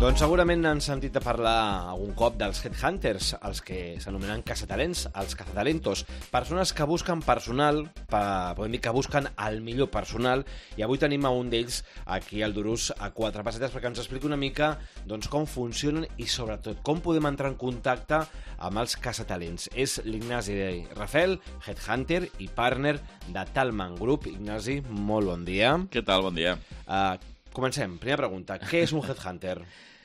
Doncs segurament han sentit a parlar algun cop dels headhunters, els que s'anomenen caçatalents, els cazatalentos, persones que busquen personal, podem dir que busquen el millor personal, i avui tenim a un d'ells aquí al Durús a quatre pessetes perquè ens expliqui una mica doncs, com funcionen i sobretot com podem entrar en contacte amb els caçatalents. És l'Ignasi Rafel, headhunter i partner de Talman Group. Ignasi, molt bon dia. Què tal? Bon dia. Comencem. Primera pregunta. Què és un headhunter?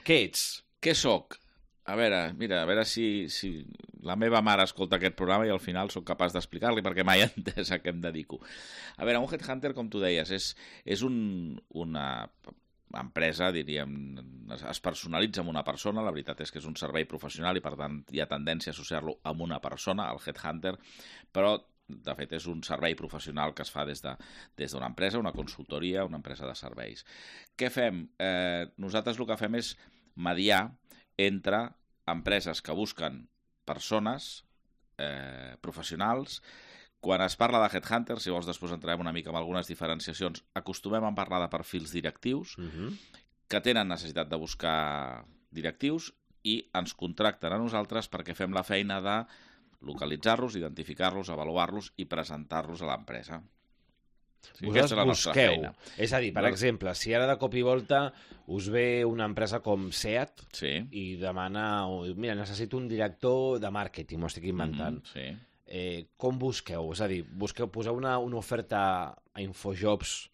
Què ets? Què sóc? A veure si la meva mare escolta aquest programa i al final sóc capaç d'explicar-li perquè mai he entès a què em dedico. A veure, un headhunter, com tu deies, és una empresa, diríem, es personalitza amb una persona. La veritat és que és un servei professional i per tant hi ha tendència a associar-lo amb una persona, el headhunter, però de fet és un servei professional que es fa des d'una empresa, una consultoria, una empresa de serveis. Què fem? Nosaltres el que fem és mediar entre empreses que busquen persones professionals. Quan es parla de headhunters, si vols després entrarem una mica amb algunes diferenciacions, acostumem a parlar de perfils directius que tenen necessitat de buscar directius i ens contracten a nosaltres perquè fem la feina de localitzar-los, identificar-los, avaluar-los i presentar-los a l'empresa. Vosaltres busqueu. És a dir, per exemple, si ara de cop i volta us ve una empresa com SEAT i demana, mira, necessito un director de màrqueting, m'ho estic inventant. Com busqueu? És a dir, poseu una oferta a Infojobs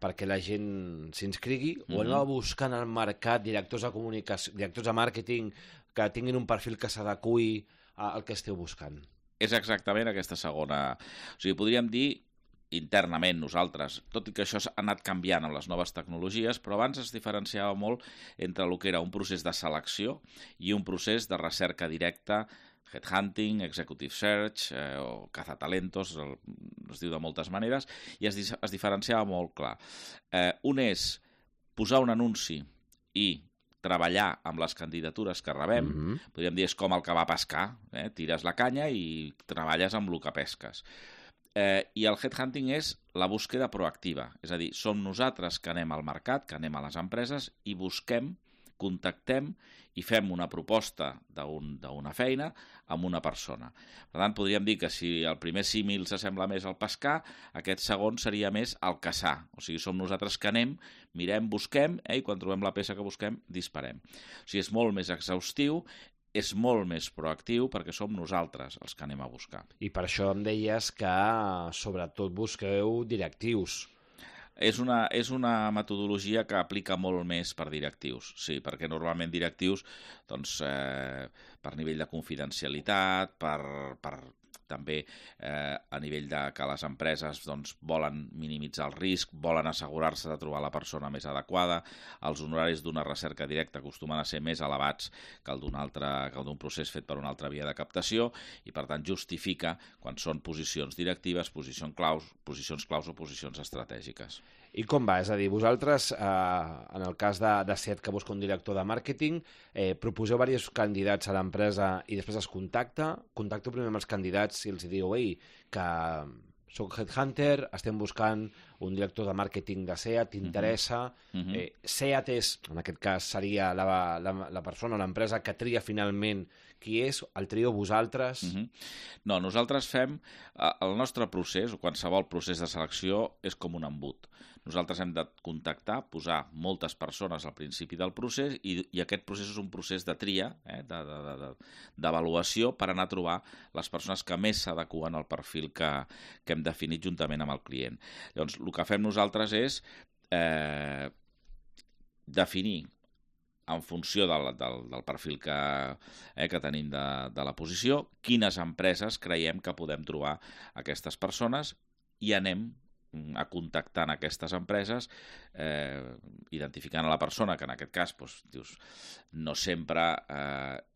perquè la gent s'inscrigui o aneu buscant al mercat directors de comunicació, directors de màrqueting que tinguin un perfil que s'adequi el que esteu buscant? És exactament aquesta segona. O sigui, podríem dir internament nosaltres, tot i que això ha anat canviant amb les noves tecnologies, però abans es diferenciava molt entre el que era un procés de selecció i un procés de recerca directa, headhunting, executive search o cazatalentos, es diu de moltes maneres, i es diferenciava molt clar. Un és posar un anunci i treballar amb les candidatures que rebem, podríem dir, és com el que va a pescar, tires la canya i treballes amb el que pesques. I el headhunting és la búsqueda proactiva, és a dir, som nosaltres que anem al mercat, que anem a les empreses i busquem, contactem i fem una proposta d'una feina amb una persona. Per tant, podríem dir que si el primer símil s'assembla més al pescar, aquest segon seria més al caçar. O sigui, som nosaltres que anem, mirem, busquem, i quan trobem la peça que busquem, disparem. O sigui, és molt més exhaustiu, és molt més proactiu perquè som nosaltres els que anem a buscar. I per això em deies que sobretot busqueu directius. És una metodologia que aplica molt més per directius, sí, perquè normalment directius, doncs, per nivell de confidencialitat, per també a nivell de que les empreses doncs, volen minimitzar el risc, volen assegurar-se de trobar la persona més adequada, els honoraris d'una recerca directa acostumen a ser més elevats que el d'un procés fet per una altra via de captació i per tant justifica quan són posicions directives, posicions claus o posicions estratègiques. I com va? És a dir, vosaltres, en el cas de SEAT que busca un director de màrqueting, proposeu diversos candidats a l'empresa i després es contacteu primer amb els candidats i els diu, ei, que soc headhunter, estem buscant un director de màrqueting de SEAT, t'interessa. SEAT és, en aquest cas, seria la persona o l'empresa que tria finalment qui és, el trieu vosaltres? No, nosaltres fem el nostre procés, o qualsevol procés de selecció, és com un embut. Nosaltres hem de contactar, posar moltes persones al principi del procés i aquest procés és un procés de tria, d'avaluació per anar a trobar les persones que més s'adeqüen al perfil que hem definit juntament amb el client. Llavors, el que fem nosaltres és definir en funció del perfil que tenim de la posició, quines empreses creiem que podem trobar aquestes persones i anem a contactar en aquestes empreses, identificant a la persona, que en aquest cas dius, no sempre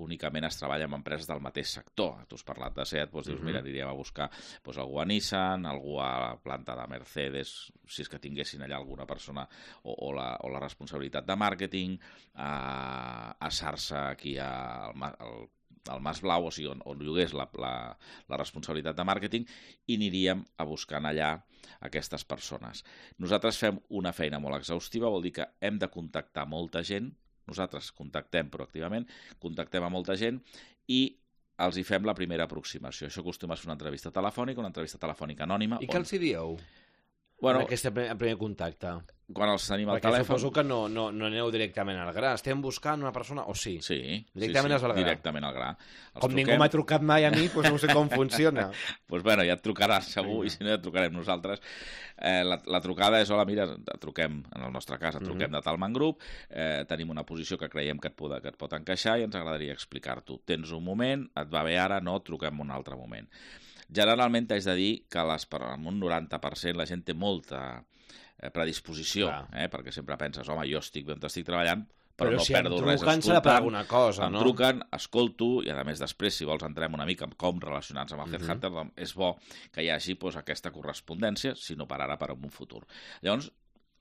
únicament es treballa amb empreses del mateix sector. Tu has parlat de SEAT, dius, mira, aniríem a buscar algú a Nissan, algú a la planta de Mercedes, si és que tinguessin allà alguna persona o la responsabilitat de màrqueting, a Sarsa, aquí al Mas Blau, o sigui, on llogués la responsabilitat de màrqueting, i aniríem a buscar allà aquestes persones. Nosaltres fem una feina molt exhaustiva, vol dir que hem de contactar molta gent, nosaltres contactem proactivament, contactem a molta gent i els hi fem la primera aproximació. Això acostuma a ser una entrevista telefònica anònima. I què els hi dieu? Bueno, en aquest primer contacte. Quan els tenim al telèfon... Perquè suposo que no aneu directament al gra. Estem buscant una persona, o sí? Sí. Directament al gra. Directament al gra. Com ningú m'ha trucat mai a mi, doncs no sé com funciona. Doncs bueno, ja et trucaràs segur, i si no ja et trucarem nosaltres. La trucada és, hola, mira, truquem, en el nostre cas, truquem de Talman Group, tenim una posició que creiem que et pot encaixar i ens agradaria explicar-t'ho. Tens un moment, et va bé ara, no, truquem un altre moment. Generalment t'haig de dir que en un 90% la gent té molta predisposició, perquè sempre penses, home, jo estic bé on estic treballant, però no si perdo res escoltant. Per alguna cosa, em truquen, escolto, i a més després, si vols, entrem una mica en com relacionar-nos amb el Headhunter, és bo que hi hagi aquesta correspondència, si no per ara, per un futur. Llavors,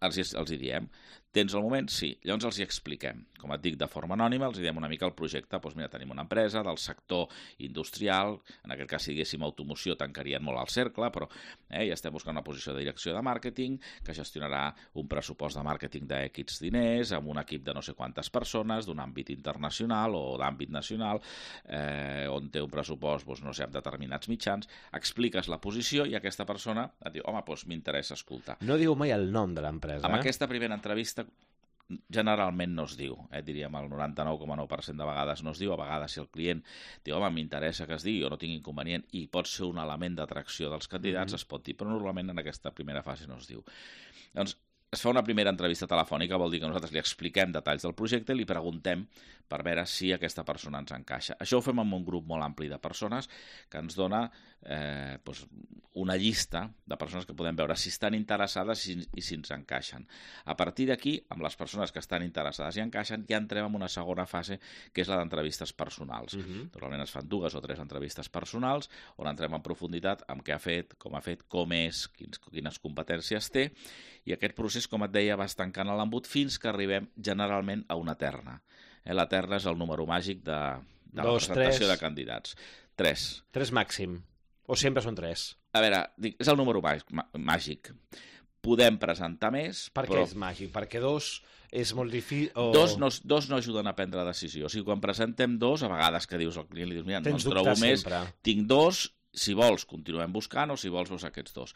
els hi diem, tens el moment? Sí. Llavors els hi expliquem. Com et dic, de forma anònima, els hi diem una mica el projecte. Doncs mira, tenim una empresa del sector industrial, en aquest cas, si diguéssim automoció, tancarien molt el cercle, però ja estem buscant una posició de direcció de màrqueting que gestionarà un pressupost de màrqueting d'X diners, amb un equip de no sé quantes persones, d'un àmbit internacional o d'àmbit nacional, on té un pressupost, doncs, no sé, amb determinats mitjans, expliques la posició i aquesta persona et diu, home, doncs m'interessa escoltar. No diu mai el nom de l'empresa. Amb aquesta primera entrevista generalment no es diu, diríem el 99,9% de vegades no es diu, a vegades si el client diu, home, m'interessa que es digui o no tinc inconvenient i pot ser un element d'atracció dels candidats, es pot dir, però normalment en aquesta primera fase no es diu. Doncs es fa una primera entrevista telefònica, vol dir que nosaltres li expliquem detalls del projecte i li preguntem per veure si aquesta persona ens encaixa. Això ho fem amb un grup molt ampli de persones que ens dona una llista de persones que podem veure si estan interessades i si ens encaixen. A partir d'aquí, amb les persones que estan interessades i encaixen, ja entrem en una segona fase, que és la d'entrevistes personals. Normalment es fan 2 o 3 entrevistes personals, on entrem en profunditat amb què ha fet, com és, quines competències té, i aquest procés, com et deia, va estancant a l'embut fins que arribem generalment a una terna. La terna és el número màgic de la presentació de candidats. 3. 3 màxim. O sempre són 3? A veure, és el número màgic. Podem presentar més, Per què és màgic? Perquè 2 és molt difícil... 2 no ajuden a prendre decisió. O sigui, quan presentem 2, a vegades que dius al client, li dius, mira, no en trobo més, tinc 2, si vols continuem buscant o si vols veus aquests 2.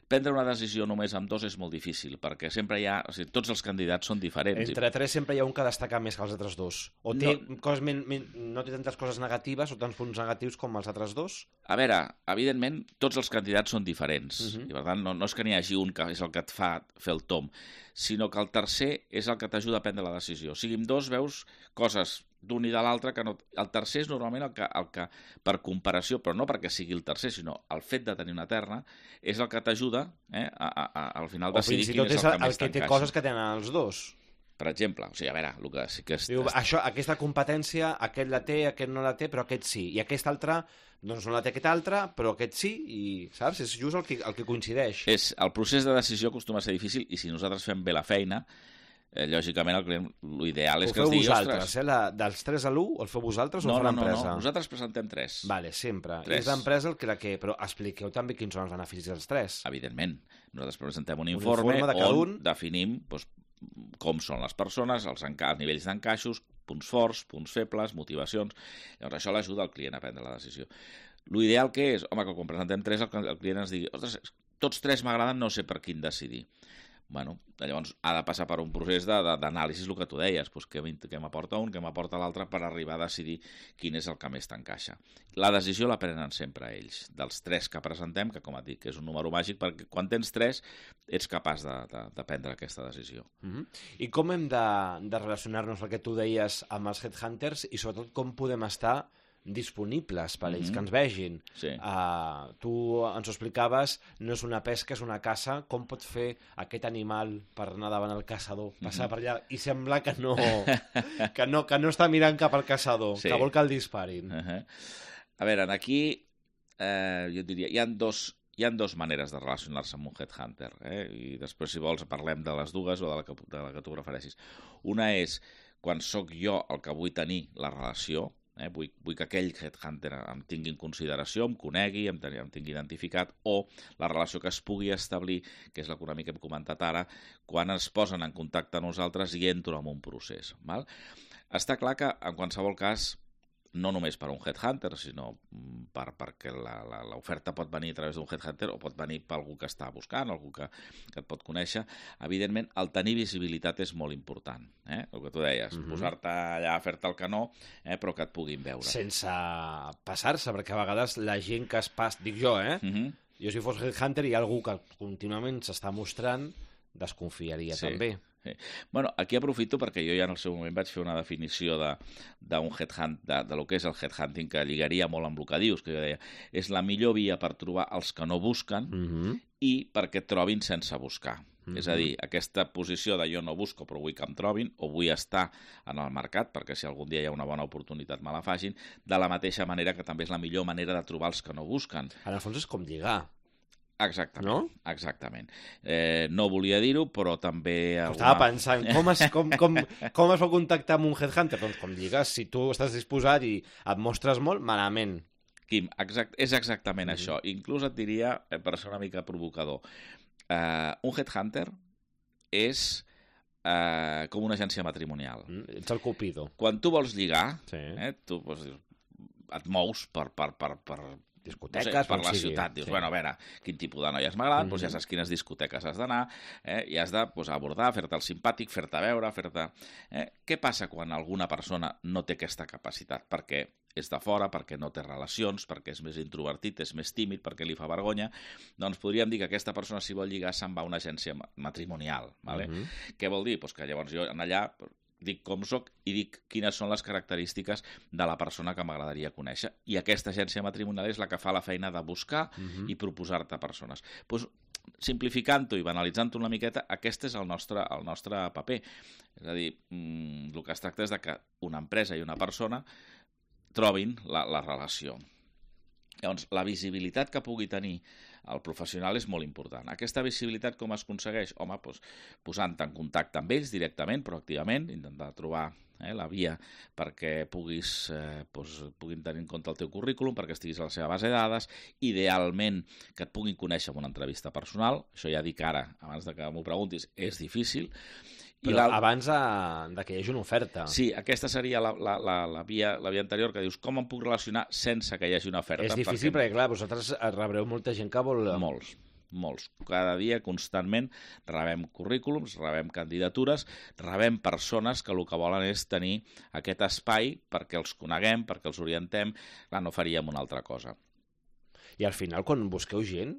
Prendre una decisió només amb 2 és molt difícil, perquè sempre hi ha... O sigui, tots els candidats són diferents. Entre 3 sempre hi ha un que destaca més que els altres 2. O té no té tantes coses negatives o tants punts negatius com els altres 2? A veure, evidentment, tots els candidats són diferents. I per tant, no és que n'hi hagi un que és el que et fa fer el tom, sinó que el tercer és el que t'ajuda a prendre la decisió. O sigui, amb 2 veus coses d'un i de l'altre que no... El tercer és normalment el que, per comparació, però no perquè sigui el tercer, sinó el fet de tenir una terna, és el que t'ajuda al final decidir quin és el que més t'encaixa. O fins i tot és el que té coses que tenen els 2. Per exemple, o sigui, a veure, el que sí que és... Diu, aquesta competència, aquest la té, aquest no la té, però aquest sí. I aquest altre, doncs no la té aquest altre, però aquest sí, i saps? És just el que coincideix. El procés de decisió acostuma a ser difícil, i si nosaltres fem bé la feina, lògicament l'ideal és que es digui... Ho feu vosaltres, dels 3 a l'1, el feu vosaltres o ho fa l'empresa? No, nosaltres presentem 3. Vale, sempre. És l'empresa el que... Però expliqueu també quins són els beneficis dels 3. Evidentment. Nosaltres presentem un informe on definim com són les persones, els nivells d'encaixos, punts forts, punts febles, motivacions... Llavors això l'ajuda al client a prendre la decisió. L'ideal que és, home, que quan presentem 3 el client ens digui, ostres, tots 3 m'agraden, no sé per quin decidir. Bueno, llavors ha de passar per un procés d'anàlisi, el que tu deies, doncs què m'aporta un, què m'aporta l'altre, per arribar a decidir quin és el que més t'encaixa. La decisió la prenen sempre ells, dels 3 que presentem, que com et dic, que és un número màgic, perquè quan tens 3 ets capaç de prendre aquesta decisió. I com hem de relacionar-nos, el que tu deies, amb els headhunters, i sobretot com podem estar disponibles per ells, que ens vegin. Sí. Tu ens ho explicaves, no és una pesca, és una caça. Com pot fer aquest animal per anar davant el caçador, passar per allà i semblar que no està mirant cap al caçador, que vol que el disparin? A veure, aquí jo diria, hi ha dos maneres de relacionar-se amb un headhunter, i després, si vols, parlem de les dues o de la que tu refereixis. Una és quan sóc jo el que vull tenir la relació, Vull que aquell headhunter em tingui en consideració, em conegui, em tingui identificat, o la relació que es pugui establir, que és l'economia que hem comentat ara, quan es posen en contacte amb nosaltres i entro en un procés. Val? Està clar que, en qualsevol cas, no només per un headhunter, sinó perquè l'oferta pot venir a través d'un headhunter o pot venir per algú que està buscant, algú que et pot conèixer. Evidentment, el tenir visibilitat és molt important. El que tu deies, posar-te allà a fer-te el canó, però que et puguin veure. Sense passar-se, perquè a vegades la gent que es passa... Dic jo, jo si fos headhunter i hi ha algú que contínuament s'està mostrant, desconfiaria també. Sí. Bueno, aquí aprofito perquè jo ja en el seu moment vaig fer una definició d'un headhunt, de lo que és el headhunting, que lligaria molt amb el que dius, que jo deia, és la millor via per trobar els que no busquen i perquè et trobin sense buscar. És a dir, aquesta posició de jo no busco però vull que em trobin o vull estar en el mercat perquè si algun dia hi ha una bona oportunitat me la facin, de la mateixa manera que també és la millor manera de trobar els que no busquen. En el fons és com lligar. Exactament, no? Exactament. No volia dir-ho, però també... Estava pensant, com es va contactar amb un headhunter? Doncs com digues, si tu estàs disposat i et mostres molt, malament. Quim, és exactament això. Inclús et diria, per ser una mica provocador, un headhunter és com una agència matrimonial. Ets el Cupido. Quan tu vols lligar, tu et mous per discoteques, per la ciutat. Dius, bueno, a veure, quin tipus de noies m'agraden, doncs ja saps quines discoteques has d'anar, i has de abordar, fer-te el simpàtic, fer-te veure, fer-te... Què passa quan alguna persona no té aquesta capacitat? Perquè és de fora, perquè no té relacions, perquè és més introvertit, és més tímid, perquè li fa vergonya, doncs podríem dir que aquesta persona, si vol lligar, se'n va a una agència matrimonial. Vale? Què vol dir? Pues que llavors jo allà dic com soc i dic quines són les característiques de la persona que m'agradaria conèixer. I aquesta agència matrimonial és la que fa la feina de buscar i proposar-te persones. Pues, simplificant-ho i banalitzant-ho una miqueta, aquest és el nostre paper. És a dir, el que es tracta és de que una empresa i una persona trobin la relació. Llavors, la visibilitat que pugui tenir el professional és molt important. Aquesta visibilitat com es aconsegueix? Home, doncs, posant-te en contacte amb ells directament, proactivament, intentar trobar la via perquè puguin tenir en compte el teu currículum, perquè estiguis a la seva base de dades, idealment que et puguin conèixer en una entrevista personal. Això ja dic ara, abans de que m'ho preguntis, és difícil. Però abans de que hi hagi una oferta. Sí, aquesta seria la via anterior, que dius, com em puc relacionar sense que hi hagi una oferta? És difícil perquè, clar, vosaltres rebreu molta gent que vol... Molts. Cada dia, constantment, rebem currículums, rebem candidatures, rebem persones que el que volen és tenir aquest espai perquè els coneguem, perquè els orientem. Clar, no faríem una altra cosa. I al final, quan busqueu gent,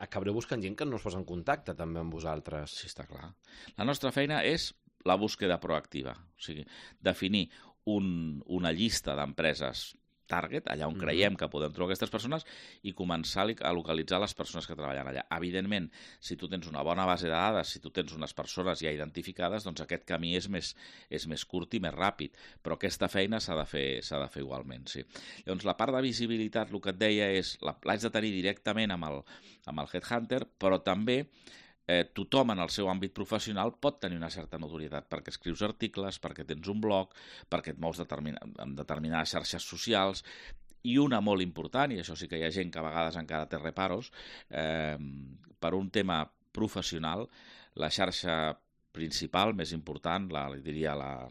acabareu buscant gent que no es posa en contacte també amb vosaltres. Sí, està clar. La nostra feina és la búsqueda proactiva. O sigui, definir una llista d'empreses target, allà on creiem que podem trobar aquestes persones i començar a localitzar les persones que treballen allà. Evidentment, si tu tens una bona base de dades, si tu tens unes persones ja identificades, doncs aquest camí és més curt i més ràpid, però aquesta feina s'ha de fer igualment, sí. Llavors, la part de visibilitat, el que et deia és, l'haig de tenir directament amb el headhunter, però també tothom en el seu àmbit professional pot tenir una certa notorietat perquè escrius articles, perquè tens un blog, perquè et mous en determinades xarxes socials, i una molt important, i això sí que hi ha gent que a vegades encara té reparos, per un tema professional, la xarxa principal, més important, diria la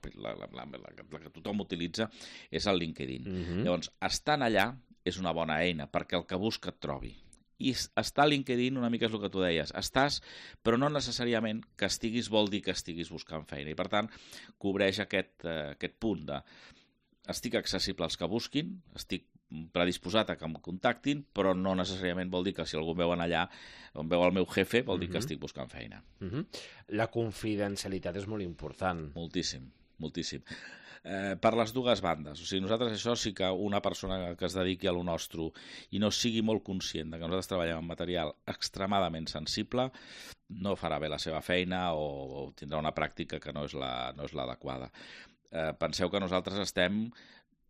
que tothom utilitza, és el LinkedIn. Llavors, estant allà és una bona eina perquè el que busca et trobi. I estar a LinkedIn una mica és el que tu deies. Estàs, però no necessàriament que estiguis vol dir que estiguis buscant feina. I, per tant, cobreix aquest punt de estic accessible als que busquin, estic predisposat a que em contactin, però no necessàriament vol dir que si algú em veuen allà, on veu el meu jefe, vol dir que estic buscant feina. La confidencialitat és molt important. Moltíssim, moltíssim. Per les dues bandes. O sigui, nosaltres això sí que una persona que es dediqui a lo nostre i no sigui molt conscient de que nosaltres treballem amb material extremadament sensible, no farà bé la seva feina o tindrà una pràctica que no és l'adequada. Penseu que nosaltres estem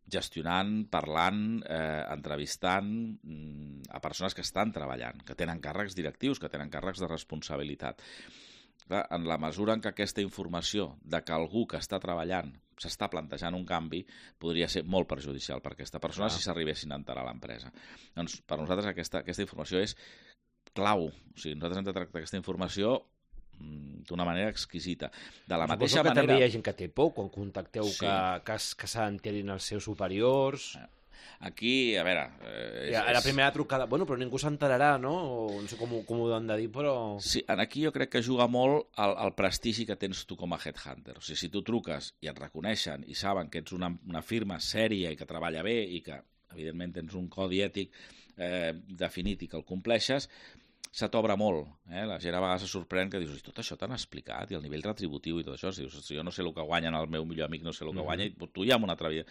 gestionant, parlant, entrevistant a persones que estan treballant, que tenen càrrecs directius, que tenen càrrecs de responsabilitat. en la mesura en què aquesta informació de que algú que està treballant s'està plantejant un canvi, podria ser molt perjudicial per aquesta persona si s'arribessin a enterar a l'empresa. Doncs per nosaltres aquesta informació és clau. O sigui, nosaltres hem de tractar aquesta informació d'una manera exquisita. De la mateixa manera... També hi ha gent que té por quan contacteu que s'enterin els seus superiors... Aquí, a veure... La primera trucada... Bueno, però ningú s'enterarà, no? No sé com ho han de dir, però... Sí, aquí jo crec que juga molt el prestigi que tens tu com a headhunter. O sigui, si tu truques i et reconeixen i saben que ets una firma sèria i que treballa bé i que, evidentment, tens un codi ètic definit i que el compleixes, se t'obre molt. La gent a vegades se sorprèn que dius, tot això t'han explicat, i el nivell retributiu i tot això, dius, jo no sé el que guanyen, el meu millor amic no sé el que guanya, i tu ja amb una altra vida.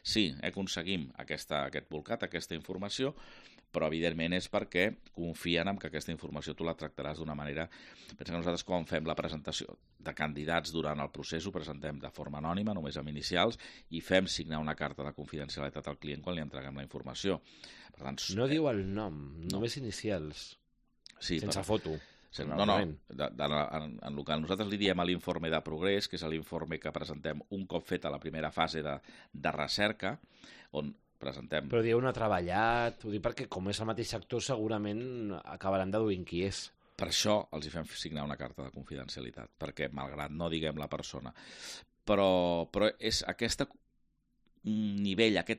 Sí, aconseguim aquest volcat, aquesta informació, però evidentment és perquè confien en que aquesta informació tu la tractaràs d'una manera... Pensa que nosaltres quan fem la presentació de candidats durant el procés ho presentem de forma anònima, només amb inicials, i fem signar una carta de confidencialitat al client quan li entreguem la informació. Per tant, no diu el nom, només inicials. Sí, sense foto. No, en el que nosaltres li diem a l'informe de progrés, que és l'informe que presentem un cop feta la primera fase de recerca, on presentem... Però dieu no ha treballat, ho dic perquè com és el mateix sector segurament acabaran deduint qui és. Per això els hi fem signar una carta de confidencialitat, perquè malgrat no diguem la persona. Però és aquest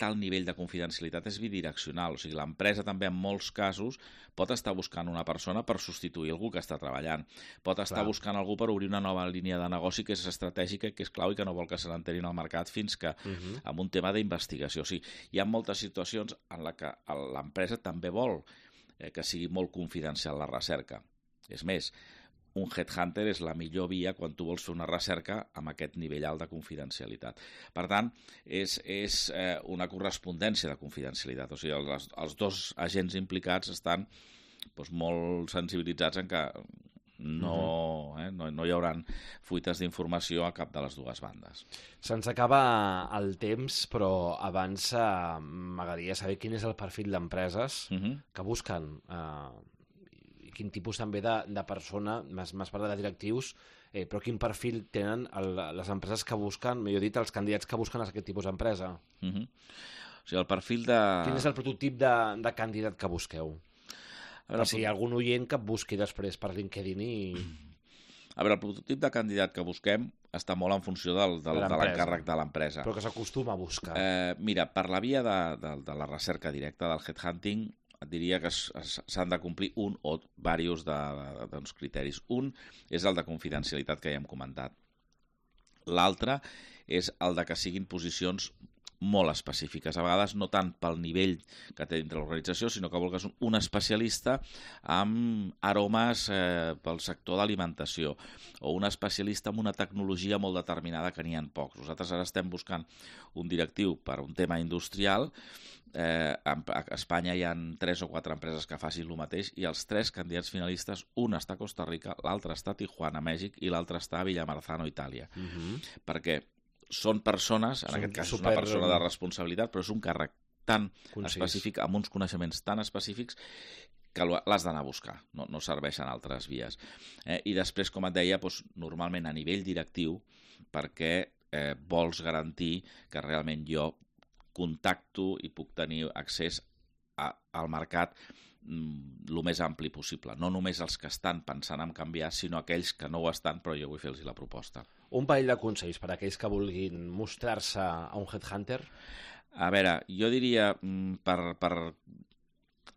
alt nivell de confidencialitat és bidireccional, o sigui, l'empresa també en molts casos pot estar buscant una persona per substituir algú que està treballant, pot estar buscant algú per obrir una nova línia de negoci que és estratègica, que és clau i que no vol que se n'enterin al mercat fins que amb un tema d'investigació. O sigui, hi ha moltes situacions en les que l'empresa també vol que sigui molt confidencial la recerca. És més, un headhunter és la millor via quan tu vols fer una recerca amb aquest nivell alt de confidencialitat. Per tant, és una correspondència de confidencialitat. O sigui, els dos agents implicats estan molt sensibilitzats en que no hi haurà fuites d'informació a cap de les dues bandes. Se'ns acaba el temps, però abans m'agradaria saber quin és el perfil d'empreses que busquen quin tipus també de persona, m'has parlat de directius, però quin perfil tenen les empreses que busquen, millor dit, els candidats que busquen aquest tipus d'empresa. O sigui, el perfil de... Quin és el prototip de candidat que busqueu? Per si hi ha algun oient que busqui després per LinkedIn i... A veure, el prototip de candidat que busquem està molt en funció de l'encàrrec de l'empresa. Però que s'acostuma a buscar. Mira, per la via de la recerca directa, del headhunting, et diria que s'han de complir un o diversos criteris. Un és el de confidencialitat que ja hem comentat. L'altre és el de que siguin posicions molt específiques, a vegades no tant pel nivell que té dintre l'organització, sinó que vulguis un especialista amb aromes pel sector d'alimentació o un especialista amb una tecnologia molt determinada que n'hi ha pocs. Nosaltres ara estem buscant un directiu per un tema industrial. A Espanya hi ha 3 o 4 empreses que facin el mateix i els 3 candidats finalistes, un està a Costa Rica, l'altre està a Tijuana, Mèxic, i l'altre està a Villamarzano, Itàlia. Perquè són persones, en aquest cas és una persona de responsabilitat, però és un càrrec tan específic, amb uns coneixements tan específics, que l'has d'anar a buscar, no serveixen altres vies. I després, com et deia, normalment a nivell directiu, perquè vols garantir que realment jo contacto i puc tenir accés al mercat el més ampli possible. No només els que estan pensant en canviar, sinó aquells que no ho estan, però jo vull fer-los la proposta. Un parell de consells per a aquells que vulguin mostrar-se a un headhunter? A veure, jo diria,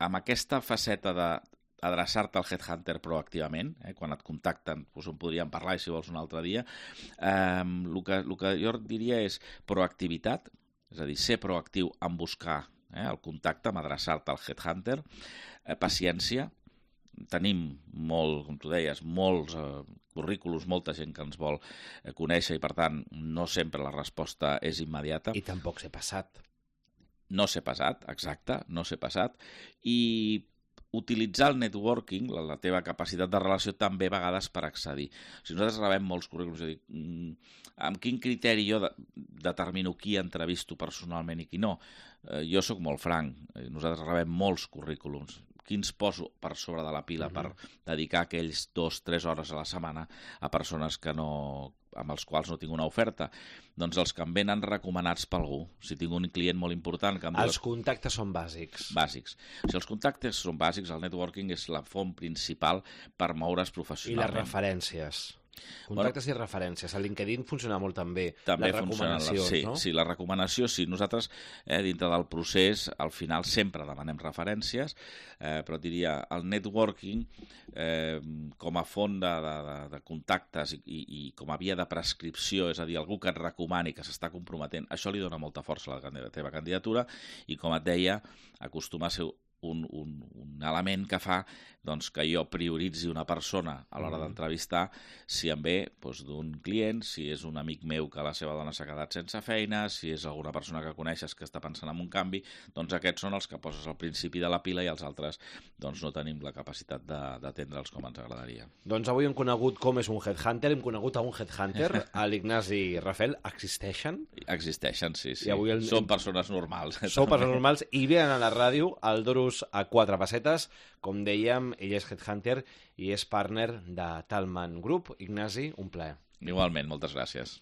amb aquesta faceta d'adreçar-te al headhunter proactivament, quan et contacten, en podríem parlar si vols un altre dia, el que jo diria és proactivitat, és a dir, ser proactiu en buscar el contacte, en adreçar-te al headhunter, paciència. Tenim molt, com tu deies, molts currículums, molta gent que ens vol conèixer i, per tant, no sempre la resposta és immediata. I tampoc ser passat. No ser passat, exacte, no ser passat. I utilitzar el networking, la teva capacitat de relació, també a vegades per accedir. Si nosaltres rebem molts currículums, és a dir, amb quin criteri jo determino qui entrevisto personalment i qui no? Jo sóc molt franc. Nosaltres rebem molts currículums. quins poso per sobre de la pila per dedicar aquells 2-3 hores a la setmana a persones que no, amb els quals no tinc una oferta? Doncs els que em venen recomanats per algú. Si tinc un client molt important... Que els contactes són bàsics. Bàsics. Si els contactes són bàsics, el networking és la font principal per moure's professionalment. I les referències. Contactes i referències. A LinkedIn funciona molt també les recomanacions, no? Sí, la recomanació, sí. Nosaltres, dintre del procés, al final sempre demanem referències, però diria, el networking com a font de contactes i com a via de prescripció, és a dir, algú que et recomani, que s'està comprometent, això li dona molta força a la teva candidatura i, com et deia, acostuma a ser un element que fa doncs, que jo prioritzi una persona a l'hora d'entrevistar si em ve d'un client, si és un amic meu que la seva dona s'ha quedat sense feina, si és alguna persona que coneixes que està pensant en un canvi, doncs aquests són els que poses al principi de la pila i els altres doncs, no tenim la capacitat d'atendre'ls com ens agradaria. Doncs avui hem conegut com és un headhunter, hem conegut a un headhunter, a l'Ignasi Rafel. Existeixen? Existeixen, sí. I són persones normals. Són persones normals i venen a la ràdio al Duros a 4 pessetes. Com dèiem, ell és headhunter i és partner de Talman Group. Ignasi, un plaer. Igualment, moltes gràcies.